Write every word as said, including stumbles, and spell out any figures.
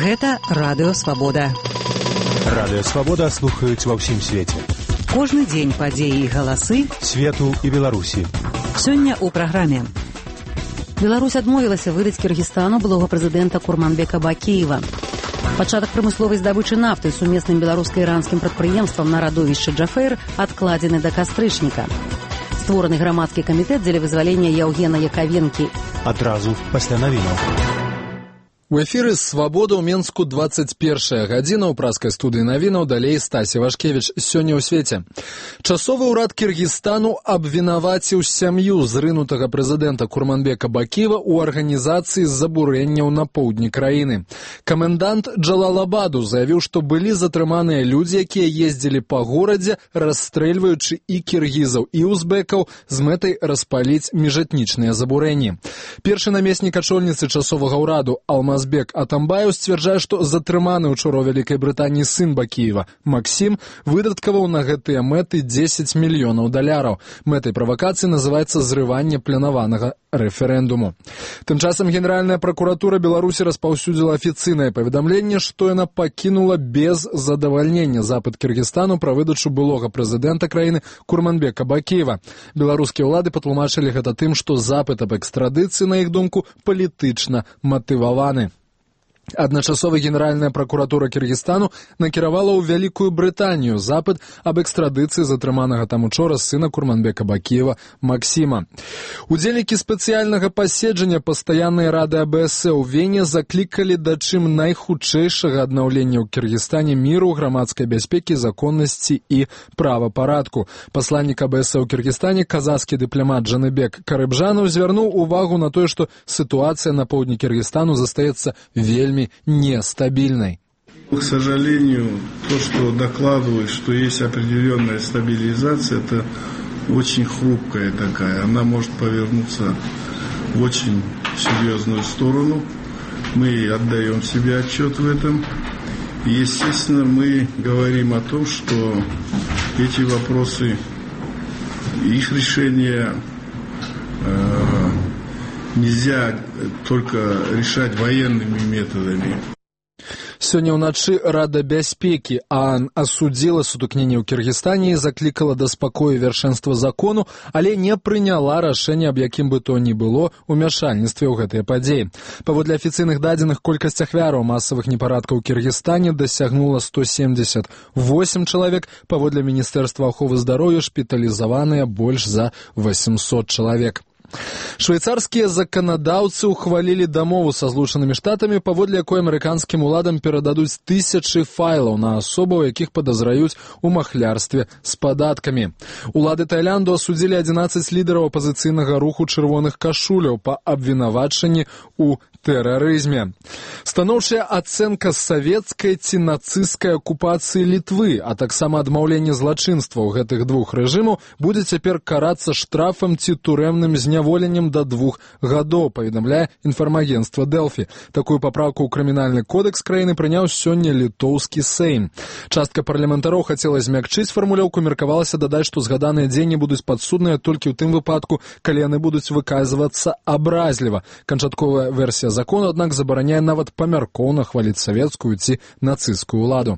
Гэта Радыё Свабода. Радыё Свабода слухаюць ва ўсім свеце. Кожны дзень падзеі і галасы свету і Беларусі. Сёння ў праграме. Беларусь адмовілася выдаць Кіргізстану былога прэзідэнта Курманбека Бакіева. Пачатак прамысловай здабычы нафты сумесным беларуска-іранскім прадпрыемствам на радовішчы Джафейр адкладзены да кастрычніка. Створаны грамадскі камітэт дзеля вызвалення Яўгена Яковенкі. Адразу пасля навінаў. У эфіры «Свабода» ў Менску двадцать першая гадзіна. У праскай студыі навінаў далей Стасі Вашкевіч. Сёння ў свеце. Часовы ўрад Кіргізстану абвінаваціў сям'ю зрынутага прэзідэнта Курманбека Бакіева ў арганізацыі забурэнняў на поўдні краіны. Камендант Джалалабаду заявіў, што былі затрыманыя людзі, якія ездзілі па горадзе, расстрэльваючы і кіргізаў, і узбекаў з мэтай распаліць міжэтнічныя забурэнні. Першы намеснік ачольніцы часовага ўраду Алма Азбек Атамбаев сцвярджае, што затрыманы учора ў Вялікай Брытаніі сын Бакіева, Максім, выдаткаваў на гэтыя мэты дзесяць мільёнаў даляраў. Мэтай правакацыі называецца зрыванне планаванага рэферэндуму. Тым часам Генеральная пракуратура Беларусі распаўсюдзіла афіцыйнае паведамленне, што яна пакінула без задавальнення запыт Кіргізстану пра выдачу былога прэзідэнта краіны Курманбека Бакіева. Беларускія ўлады патлумачылі гэта тым, што запыт аб экстрадыцыі, на іх думку, палітычна матываваны. Адначасова Генеральная пракуратура Кіргізстану накіравала ў Вялікую Брытанію запыт аб экстрадыцыі затрыманага там учора сына Курманбека Бакіева Максіма. Удзельнікі спецыяльнага паседжання пастаяннай рады А Б С ў Вене заклікалі да чым найхутчэйшага аднаўлення ў Кіргізстане міру, грамадскай бяспекі, законнасці і правапарадку. Пасланнік А Б С ў Кіргізстане, казахскі дыпламат Жаныбек Карыбжанов, звярнуў увагу на тое, што сітуацыя на поўдні Кіргізстану застаецца вельмі нестабильной. К сожалению, то, что докладывают, что есть определенная стабилизация, это очень хрупкая такая. Она может повернуться в очень серьезную сторону. Мы отдаем себе отчет в этом. И, естественно, мы говорим о том, что эти вопросы, их решение э, нельзя только решать военными методами. Сёння ўначы Рада бяспекі А Н асудзіла сутыкненне ў Кіргізстане і заклікала да спакою і вяршэнства закону, але не прыняла рашэнне аб якім бы то ні было ўмяшальніцтве ў гэтыя падзеі. Паводле афіцыйных дадзеных, колькасць ахвяраў масавых непарадкаў у Кіргізстане дасягнула сто семьдесят восемь чалавек, паводле Міністэрства аховы здароўя шпіталізаваныя больш за восемьсот чалавек. Швейцарскія заканадаўцы ухвалілі дамову са Злучанымі Штатамі, паводле якой амерыканскім уладам перададуць тысячы файлаў на асобаў, якіх падазраюць у махлярстве з падаткамі. Улады Таіланду асудзілі адзінаццаць лідараў апазіцыйнага руху чырвоных кашуляў па абвінавачанні ў тэрарызме. Станоўчая ацэнка савецкай ці нацысцкай акупацыі Літвы, а таксама адмаўленне злачынстваў гэтых двух рэжымаў будзе цяпер карацца штрафам ці турэмным зняволеннем да двух гадоў, паведамляе інфармагенцтва Дэлфі. Такую папраўку ў крымінальны кодекс краіны прыняў сёння літоўскі Сейм. Частка парламентароў хацела змякчыць фармулёўку, меркавалася дадаць, што згаданыя дзеянні будуць падсудныя толькі ў тым выпадку, калі яны будуць выказвацца абразліва. Канчатковая версія закону, аднак, забараняе нават памяркоўна хваліць савецкую ці нацысцкую ўладу.